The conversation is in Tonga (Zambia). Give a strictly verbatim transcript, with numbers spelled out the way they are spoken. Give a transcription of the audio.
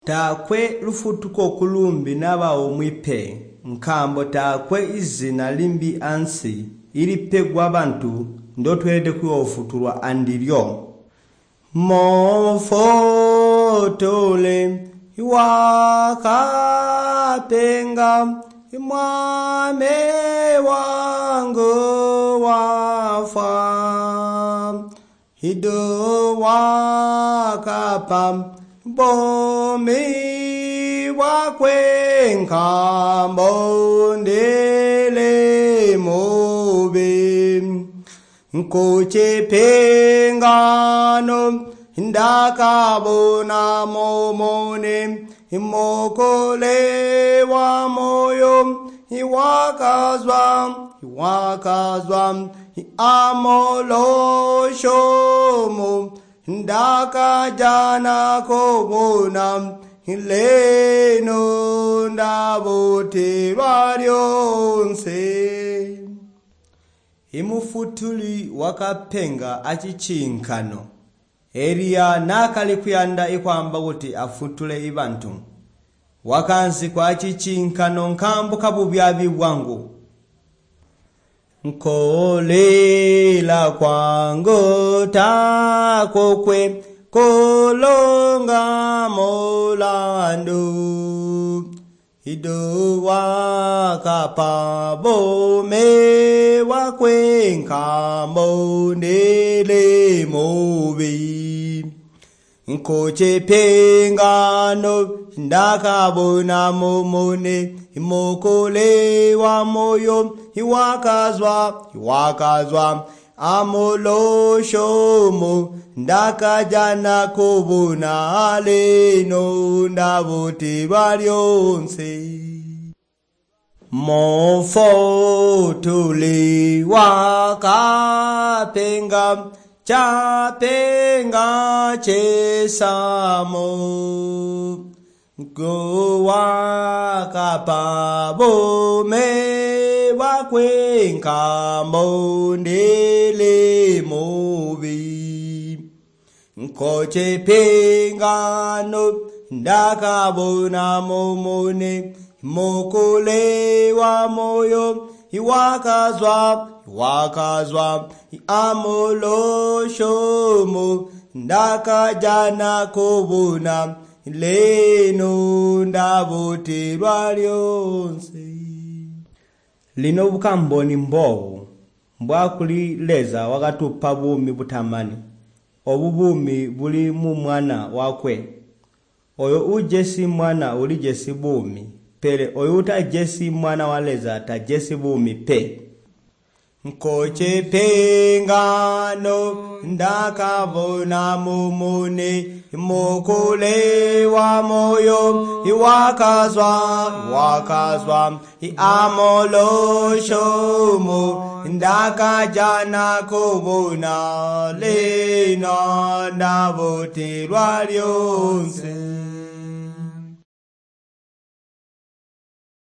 Taakwe lufutuko kulumbi naba omwe pe, nkaambo taakwe izina limbi ansi ilipegwa bantu ndotweelede kuyoofutulwa andilyo. Mofutuli wakapenga Mwami wangu wafwa Ido wakapa bomi bwakwe nkambo ndili mubi nkuchipingano ndakabona momone imokole wa moyo iwakazwa iwakazwa amoloshomo ndakajana kobona leno ndabotelwa lyonse. Imufutuli wakapenga acicinkano. Eliya naakali kuyanda ikwaamba kuti afutule ibantu. Wakanzikwa acicinkano nkaambo kabubyaabi bwangu. Nkolila kwangu takokwe kolonga mulandu. Ido wakapa bome wakwe nkambo ndili mubi. Nkuchipingano ndakabona mumune imokole wa moyo iwakazwa iwakazwa amoloshomo ndakajana kubona lino ndabotelwa lyonse. Mofutuli wakapenga chapenga chesamo wakapa bome bwakwe nkambo ndili mubi. Nkochipingano ndakabona mumune mokole wa moyo iwakazwa iwakazwa amoloshomo ndakajana kubona leno ndabotelwa lyonse. Lino bukamboni mbobu mbwakuli Leza wakatupa buumi butamani. Obu buumi buli mu Mwana wakwe. Oyo uujesi Mwana ulijesi buumi, pele oyo utajesi Mwana wa Leza tajesi buumi pe. Nkochipingano ndakabona mumune mokole wa moyo iwakazwa iwakazwa amoloshomo ndakajana kubona lino ndabotelwa lyonse.